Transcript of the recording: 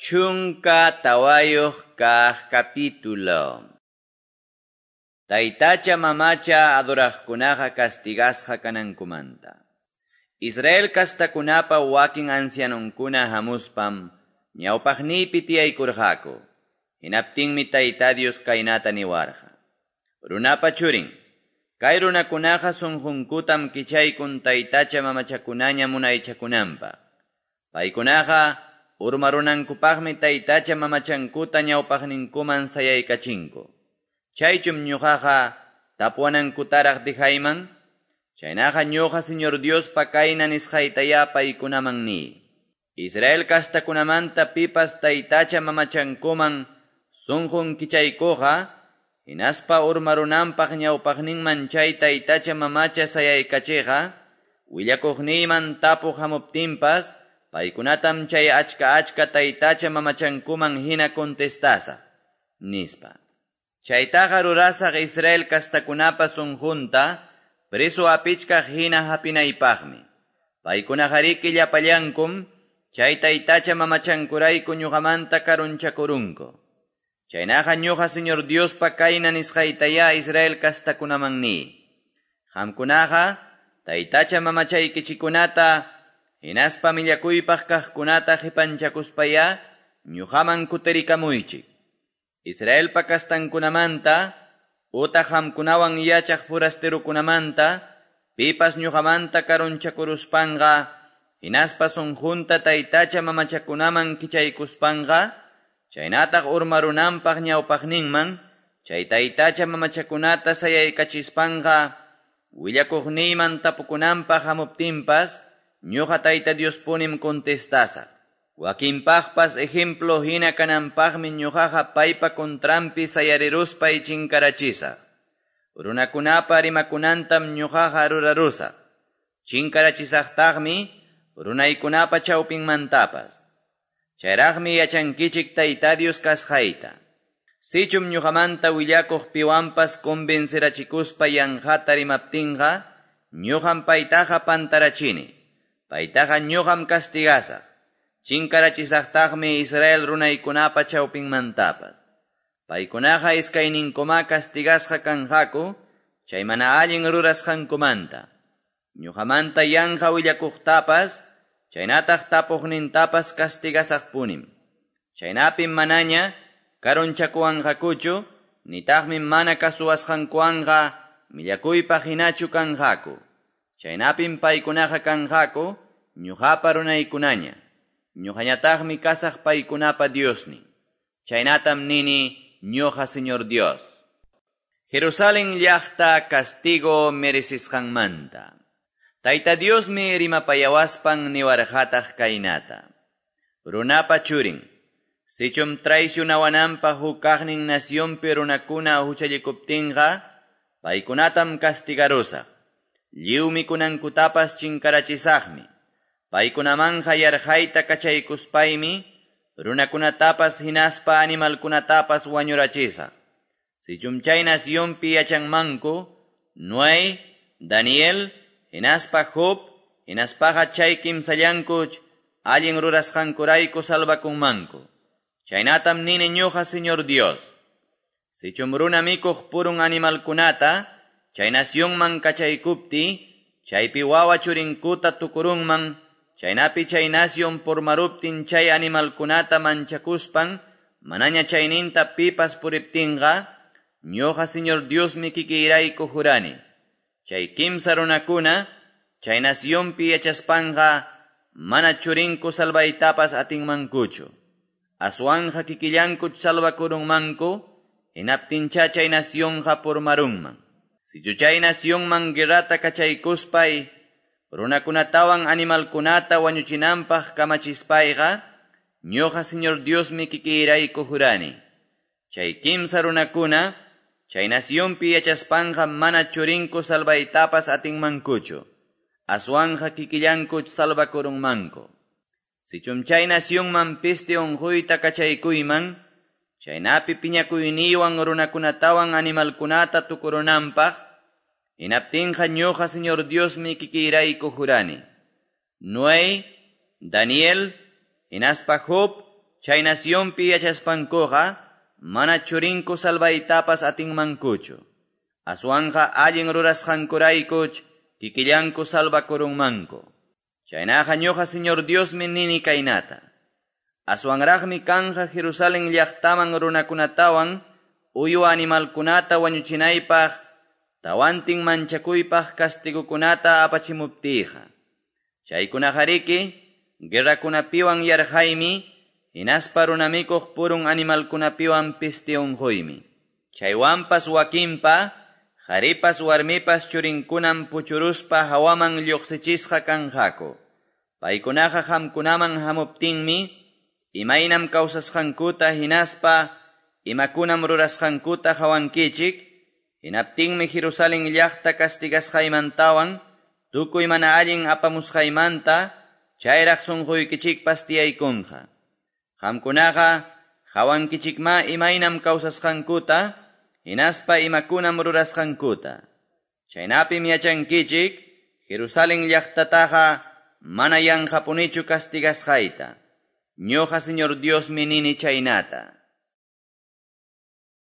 14 kaq capítulo. Taytacha mamacha adoraqkunaqa castigasqa kanankumanta. Israel kastakunapa wakin ancianonkuna hamuspam ñawpaqniypi tiyaykurqaku. Hinaptinmi Tayta Dios kaynata niwarqa. Runapa churin, kay runakunaqa sunqunkutam kichaykun taytacha mamachakunaña munaychakunanpaq. Paykunaqa urmarunankupaqmi taytacha mamachankuta ñawpaqninkuman sayaykachinku. Chaychum ñuqaqa tapuwanankutaraq dijayman, chaynaqa ñuqa Señor Diospa kayna nisqaytaya paykunaman niy. Israel kastakunamanta pipas taytacha mamachankuman sunqun kichaykuqa, hinaspa urmarunanpaq ñawpaqninman chay taytacha mamacha sayaykachiqa, willakuqniyman tapuq hamuptinpas, paykunatam chay achka achka taytacha mamachankuman hina contestasaq, nispa. Chaytaqa rurasaq Israel kastakunapa sunqunta, preso apichkaq hina hapinaypaqmi. Paykunaqariki llapallankum, chay taytacha mamachankurayku ñuqamanta karunchakurunku. Chaynaqa ñuqa Señor Diospa kayna nisqaytaya Israel kastakunaman niy. Qamkunaqa taytacha mamachaykichikunata hinaspa millakuypaq kaqkunata qipanchakuspaya ñuqaman kutirikamuychik. Israelpa kastankunamanta utaq qamkunawan yachaq forasterokunamanta pipas ñuqamanta karunchakuruspanqa hinaspa sunqunta taytacha mamachakunaman kichaykuspanqa chaynataq urmarunanpaq ñawpaqninman chay taytacha mamachakunata sayaykachispanqa willakuqniyman tapukunanpaq hamuptinpas ñuqa Tayta Diospunim contestasaq. Wakinpaqpas ejemplo hina kananpaqmi ñuqaqa paypa contranpi sayariruspay chinkarachisaq. Runakunapa rimakunantam ñuqaqa rurarusaq. Chinkarachisaqtaqmi runaykunapa chawpinmantapas. Chayraqmi yachankichik Tayta Dios kasqayta. Sichum ñuqamanta willakuq piwanpas convencerachikuspa yanqata rimaptinqa, ñuqam paytaqa pantarachini. Paytaqa ñuqam castigasaq. Chinkarachisaqtaqmi Israel runaykunapa chawpinmantapas. Paykunaqa iskayninkuma castigasqa kanqaku, chay mana allin rurasqankumanta. Ñuqamanta yanqa willakuqtapas, chaynataq tapuqnintapas castigasaqpunim. Chaynapim manaña karunchakuwanqakuchu, nitaqmi mana kasuwasqankuwanqa millakuypaq hinachu kanqaku. Chaynapim paykunaqa kanqaku, ñuqapa runaykunaña. Ñuqañataqmi kasaq paykunapa Diosnin. Chaynatam nini ñuqa Señor Dios. Jerusalén llaqta castigo merecisqanmanta. Tayta Diosmi rimapayawaspan niwarqataq kaynata. Runapa churin, sichum traicionawananpaq huk kaqnin nacionpi runakuna huchallikuptinqa, paykunatam castigarusaq. Lliw mikunankutapas chinkarachisaqmi. Paykunamanja yarqayta kachaykuspaymi, runakunatapas hinaspa animalkunatapas wañurachisaq. Sichum chay nacionpi yachanmanku, Noé, Daniel, hinaspa Job, hinaspaqa chay kimsallankuch, allin rurasqankurayku salvakunmanku. Chaynatam nini ñuqa Señor Dios. Sichum runa mikuq purun animalkunata, chay nacionman kachaykupti, chaypi wawa churinkuta tukurunman, chaynapi chay nación purmaruptin chay animalkunata manchakuspan, manaña chayninta pipas puriptinqa, ñuqa Señor Diosmi kikiyrayku jurani. Chay kimsa runakuna, chay nacionpi yachaspanqa, mana churinku salvaytapas atinmankuchu. Aswanja kikillanku salvakurunmanku, hinaptincha chay nacionqa purmarunman. Sichu chay nacionman guerrata kachaykuspay, runakunatawan animalkunata wañuchinanpaq kamachispayqa, ñuqa Señor Diosmi kikiyrayku jurani. Chay kimsa runakuna, chay nacionpi yachaspanqa mana churinku salvaytapas atinmankuchu. Aswanja kikillanku salvakurunmanku. Sichum chay nacionman peste unquyta kachaykuyman, chaynapi piñakuyniywan runakunatawan animalkunata tukurunanpaq, hinaptinqa ñuqa Señor Diosmi kikiyrayku jurani. Noé, Daniel, hinaspa Job, chay nacionpi yachaspankuqa manach churinku salvaytapas atinmankuchu, aswanqa allin rurasqankuraykuch kikillanku salvakurunmanku. Chaynaqa ñuqa Señor Diosmi nini kaynata: Aswanraqmi kanqa Jerusalén llaqtaman runakunatawan uywa animalkunata wañuchinaypaq tawantin manchakuypaq castigokunata apachimuptiyqa. Chaykunaqariki guerrakunapiwan yarqaymi, hinaspa runamikuq purun animalkunapiwan peste unquymi. Chaywanpas wakinpa, qaripas warmipas churinkunam puchuruspa hawaman lluqsichisqa kanqaku. Paykunaqa qamkunaman hamuptinmi, imaynam kawsasqankuta hinaspa imakunam rurasqankuta qawankichik, hinaptinmi Jerusalén llaqta castigasqaymantawan tukuy mana allin apamusqaymanta chayraq sunquykichikpas tiyaykunqa. Qamkunaqa qawankichikma imaynam kawsasqankuta hinaspa imakunam rurasqankuta. Chaynapim yachankichik Jerusalén llaqtataqa mana yanqapunichu castigasqayta. Ñuqa Señor Diosmi nini chaynata.